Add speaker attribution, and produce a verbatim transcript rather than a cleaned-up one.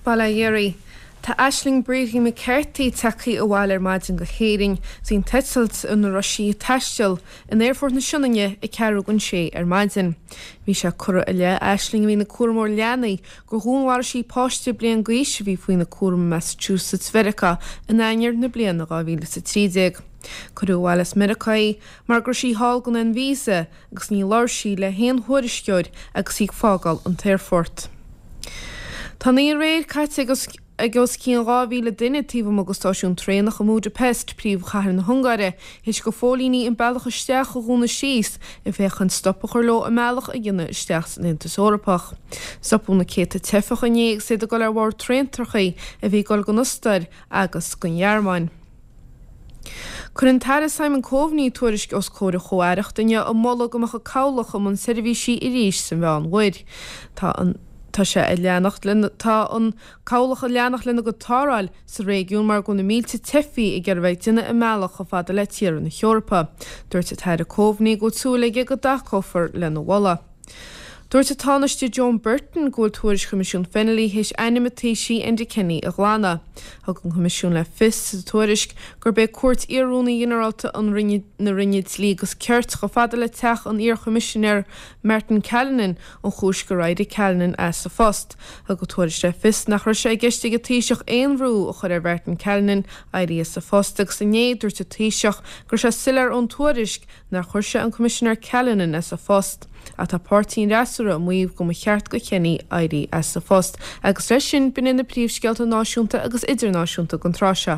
Speaker 1: Bail ó Dhia oraibh. Tá Aisling Brady McCarthy tagtha abhaile ar maidin go hÉirinn is an t-eitilt ina raibh sí ag taisteal in Aerfort na Sionainne ag ceathrú don sé ar maidin. Bhí sé curtha i leith Aisling a bhí ina cúramóir leanaí gur dhúnmharaigh sí páiste bliain d'aois a bhí faoina cúram i Massachusetts Mheiriceá in Eanáir na bliana dhá mhíle is a trí déag. Cuireadh abhaile as Meiriceá í mar go raibh sí thall gan aon víosa agus ní labhair sí le haon thuairisceoir agus í ag fágáil an t-aerfort. Tá an oíche aréir caite ag ag os cionn dhá mhíle duine taobh amuigh de stáisiún traenach i mBudapest, príomhchathair na hUngáire, théis go phóilíní an bealach isteach a dhúnadh síos ag féachaint stop a chur leo a mbealach a dhéanamh isteach san Aontas Eorpach. Stopadh na céadta teifeach inné agus iad ag dul ar bhord traentrachaí a bhí ag dul don Ostair agus don Ghearmáin. Chuir an tAire Simon Coveney tuairisc os comhair an Chomh-Aireachta inniu ag moladh go mbeadh an cabhlach i mbun seirbhísí arís sa Mheánmhuir. Tá an Tá sé ag leanacht lena tá an cabhlach ag leanacht lena gcuid tarrtháil sa réigiún mar go bhfuil na mílte teifigh ag iarraidh bheith ag déanamh a mbealach chomh fada le tíortha na hEorpa. Dúirt an tAire Coveney go bhfuil súil aige go dtacófar lena mholadh. Dúirt an Tánaiste Joan Burton go bhfuil tuairisc Choimisiún Fennelly théis ainm an Taoisigh Enda Kenny a ghlanadh. Thug an Coimisiún le fios sa tuairisc gurb é cuairt iar-Rúnaí Ghinearálta an Roinne na Roinne Dlí agus Cirt chomh fada le teach an iar-Choimisinéir Martin Callinan an chúis gur éirigh Callinan as a phost. Thug an tuairisc le fios nach raibh sé i gceist ag an Taoiseach aon bhrú a chur ar Mhartin Callinan éirí as a phost agus inné dúirt an Taoiseach go raibh sé soiléir ón tuairisc nár chuir sé an Coimisinéir Callinan as a phost. Ach tá páirtí an fhreasúra ag maíomh go mba cheart do Kenny éirí as a phost, agus leis sin b'in na príomhscéalta náisiúnta agus idirnáisiúnta don tráth seo.